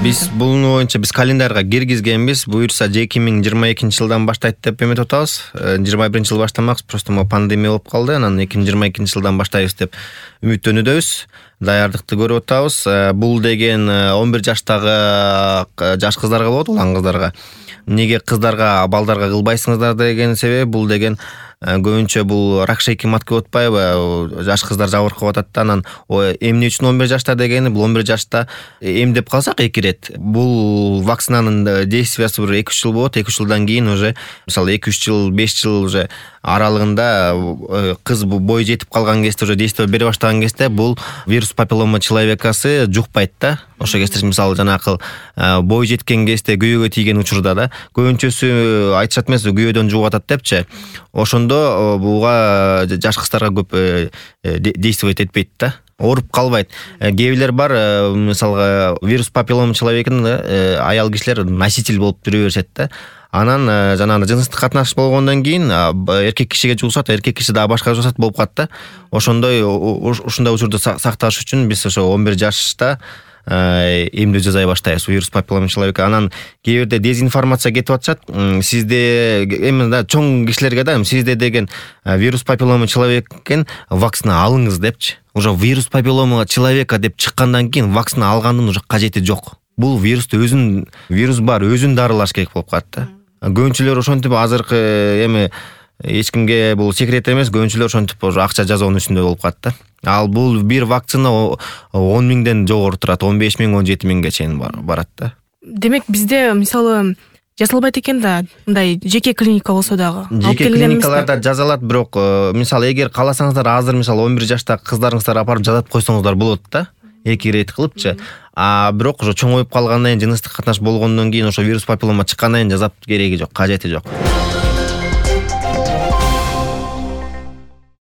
Биз бунун боюнча биз календарга киргизгенбиз. Буюрса 2022-жылдан баштайт деп эметип атабыз. 21-жыл баштамакпыз, просто могу пандемия болуп калды. Анан 2022-жылдан баштайбыз деп үмүттөнүүдөбүз. Даярдыкты көрүп атабыз. Бул деген 11 жаштагы жаш кыздарга болот, улан кыздарга. Неге кыздарга, балдарга кылбайсыңыздар деген себеби бул деген көбүнчө бул рак шейки матка болуп атпайбы? Жаш кыздар жабыркап атат да. Анан эмне үчүн 11 жашта дегени, бул 11 жашта эмдеп калсак 2 рет. Бул вакцинанын действиясы бир 2-3 жыл болот. 2-3 жылдан кийин уже мисалы 2-3 жыл, 5 жыл уже аралыгында кыз бой жетип калган кезде уже действие бере баштаган кезде бул вирус папиллома человекасы жукпайт да. Ошо кезде мисалы жанакы бой жеткен кезде күйөөгө тийген учурда да көбүнчөсү айтышат эмес, күйөөдөн жугуп атат депчи. Ошондо буга жаш кыздарга көп действовать этпейт да. Ооруп калбайт. Кээ бар, мисалга вирус папиллома человекин аял кишилер носитель болуп жүрө беришет да. Анан жанагы жыныстык катнаш болгондон кийин эркек кишиге жугушат, эркек киши дагы башка жугушат болуп калат да. Ошондой учурду сакташ үчүн биз ошо 11 жашта эмдөө жасай баштайбыз вирус папиллома человека. Анан кээ бирде дезинформация кетип атышат. Сизде эми да чоң кишилерге да сизде деген вирус папиллома человектен вакцина алыңыз депчи. Уже вирус папиллома человека деп чыккандан кийин вакцина алгандын уже кажети жок. Бул вирусту вирус бар, өзүн дарылаш керек болуп калат да. Көбүнчүлөр ошентип азыркы эми эч кимге бул секрет эмес, көбүнчүлөр ошентип уже акча жазуунун үстүндө болуп калат да. Ал бул бир вакцина 10 миңден жогору турат, 15 миң, 17 миңге чейин барат да. Демек бизде мисалы жасалбайт экен да, мындай жеке клиника болсо дагы. Жеке клиникаларда жазалат, бирок мисалы эгер кааласаңыздар азыр мисалы 11 жаштагы кыздарыңыздар апарып жазат койсоңуздар болот да. 2 рет кылыпчы. Бирок ошо чоңоюп калгандан кийин, жыныстык катнаш болгондон кийин ошо вирус папиллома чыккандан кийин жазап кереги жок, кажети жок.